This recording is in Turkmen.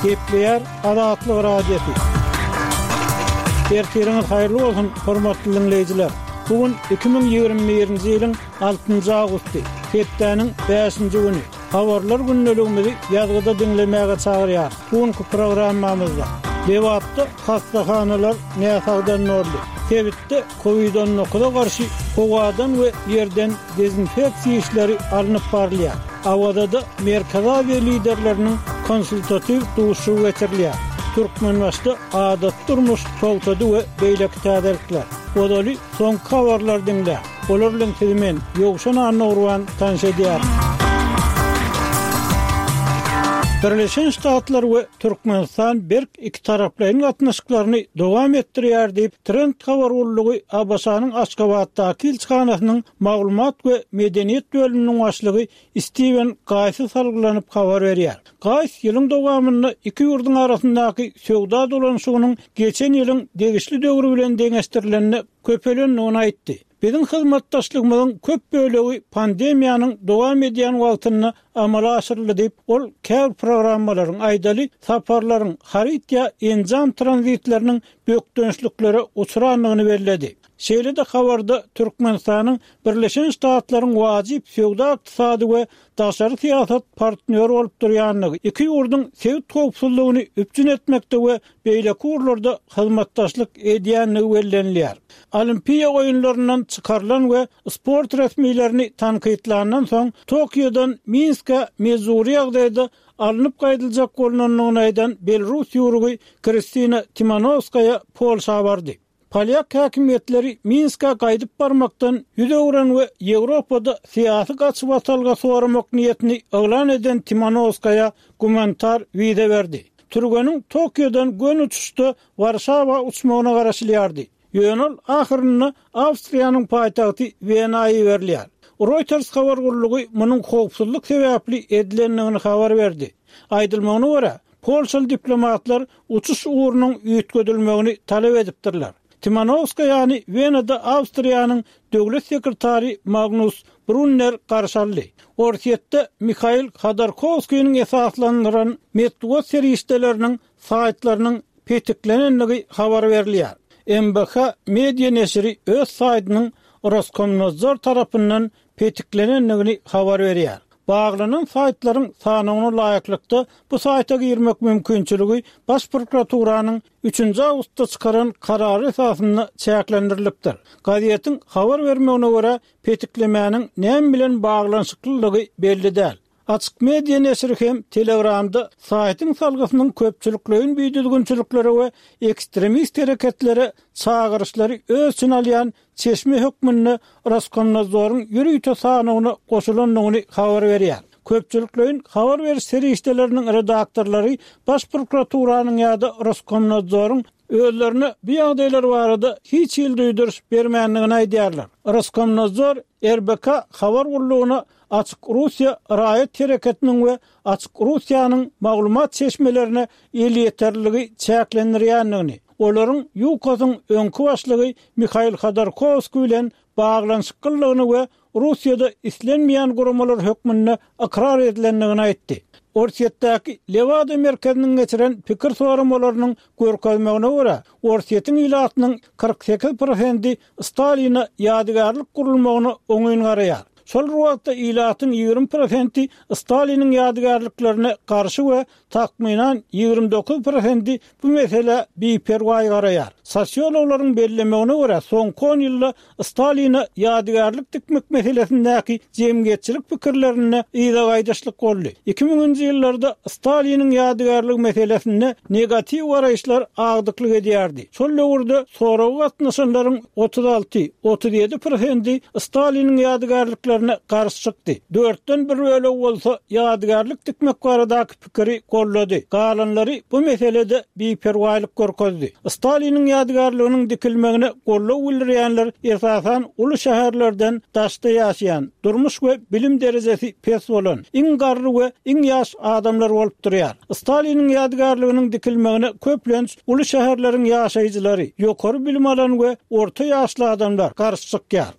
Gepleýär Azatlyk Radiosy. Ertiriňiz haýyrly bolsun, hormatly diňleýjiler! Bu gün 2021-nji ýylyň altynjy awgusty, hepdäniň bäşinji güni. Habarlar gündeligimizi ýazgyda diňlemäge çagyrýarys. Bu günki programmamyzda Lebapda hassahanalar näsagdan doldy. Sebitde Covid on dokuza garşy howadan we ýerden dezinfeksiýa işleri alnyp barylýar. Awazada Merkezi Aziýa liderleriniň konsultatiw duşuşygy geçirilýär. Türkmenbaşyda adaty durmuş togtady we beýleki täzelikler. Ozaly soňky habarlary diňläň. Olar bilen sizi men, Ýowşan Annagurban tanyş edýärin. Birleşen Ştatlar we Türkmenistan berk ikitaraplaýyn gatnaşyklaryny dowam etdirýär diýip, Trend habar gullugy ABŞ-nyň Aşgabatdaky ilçihanasynyň maglumat we medeniýet bölüminiň başlygy Stiwen Gaýsa salgylanyp habar berýär. Gaýs ýylyň dowamynda iki ýurduň arasyndaky söwda dolanyşygynyň geçen ýylyň degişli döwri bilen deňeşdirilende köpelendigini aýtdy. Biziň hyzmatdaşlygymyzyň köp bölegi pandemiýanyň dowam edýän wagtynda amala aşyryldy diýip, ol käbir programmalaryň, aýdaly, saparlaryň, haryt ýa enjam tranzitleriniň bökdençliklere uçrandygyny belledi. Şeýle-de habarda Türkmenistanyň Birleşen Ştatlaryň wajyp söwda-ykdysady we daşary syýasat partnýory bolup durýandygy, iki ýurduň sebit howpsuzlygyny üpjün etmekde we beýleki ugurlarda hyzmatdaşlyk edýändigi bellenilýär. Olimpiýa oýunlaryndan çykarylan we sport resmilerini tankytlandan soň, Tokiodan Minskä mejbury ýagdaýda alnyp gaýdyljak bolnandygyny aýdan belrus ýüwrügi Kristina Timanowskaýa Polşa bardy. Polýak häkimiýetleri Minskä gaýdyp barmakdan ýüz öwren we Ýewropada syýasy gaçybatalga soramak niýetini yglan eden Timanowskaýa gumanitar wiza berdi. Türgeniň Tokiodan göni uçuşda Warşawa uçmagyna garaşylýardy. Ýöne ol ahyrynda Awstriýanyň paýtagty Wena iberilýär. Reuters habar gullugy munuň howpsuzlyk sebäpli edilendigini habar berdi. Aýdylmagyna görä, Polşaly diplomatlar uçuş ugrunyň üýtgedilmegini talap edipdirler. Timanowskaýany Wenada Awstriýanyň döwlet sekretary Magnus Brunner garşy aldy. Orsýetde Mihail Hodorkowskiniň esaslandyran metbugat serişdeleriniň saýtlarynyň petiklenendigi habar berilýär. MBH Media neşiri öz saýtynyň Roskomnadzor tarapyndan petiklenendigini habar berýär. Baglanan saýtlaryň sanawyna laýyklykda, bu saýta girmek mümkinçiligi Baş prokuraturanyň üçünji awgustda çykaran karary esasynda çäklendirilipdir. Gazetiň habar bermegine görä, petiklemäniň näme bilen baglanyşyklylygy belli däl. Açyk media neşiri hem Telegramda saýtyň salgysynyň köpçülikleýin bidüzgünçiliklere we ekstremist hereketlere çagyryşlary öz içine alýan çeşme hökmünde Roskomnadzoryň ýörite sanawyna goşulandygyny habar berýär. Köpçülikleýin habar beriş serişdeleriniň redaktorlary Baş prokuraturanyň ýa-da Roskomnadzoryň özlerine bu ýagdaýlar barada hiç hili duýduryş bermändigini aýdýarlar. Roskomnadzor RBK habar gullugyna Açyk Russiýa raýat hereketiniň we Açyk Russiýanyň maglumat çeşmelerine elýeterliligi çäklendirýändigini, olaryň ÝUKOS-yň öňki başlygy Mihail Hodorkowskiý bilen baglanyşyklydygyny we Russiýada islenmeýän guramalar hökmünde ykrar edilendigini aýtdy. Orsýetdäki Lewada merkeziniň geçiren pikir soramalarynyň görkezmegine görä, Orsýetiň ilatynyň 48 prosendi Staline ýadygärlik gurulmagyna oňyn garaýar. Şol bir wagtda ilatyň 20 prosenti Staliniň ýadygärliklerine garşy we Takmynan 29 prosendi bu meselä biperwaý garaýar. Sosiologlaryň bellemegine görä, soňky on ýylda Staline ýadygärlik dikmek meselesindäki jemgyýetçilik pikirlerinde yza gaýdyşlyk boldy. Iki müňünji ýyllarda Staliniň ýadygärligi meselesinde negatiw garaýyşlar agdyklyk edýärdi. Şol döwürde soraga gatnaşanlaryň 36, 37 prosendi Staliniň ýadygärliklerine garşy çykdy. Dörtden bir bölegi bolsa ýadygärlik dikmek baradaky pikiri goldady. Galanlary bu meselede biperwaýlyk görkezdi. Staliniň ýadygärliginiň dikilmegine goldaw bildirýänler esasan uly şäherlerden daşda ýaşaýan, durmuş we bilim derejesi pes bolan, iň garry we iň ýaş adamlar bolup durýar. Staliniň ýadygärliginiň dikilmegine köplenç uly şäherleriň ýaşaýjylary, ýokary bilim alan we orta ýaşly adamlar garşy çykýar.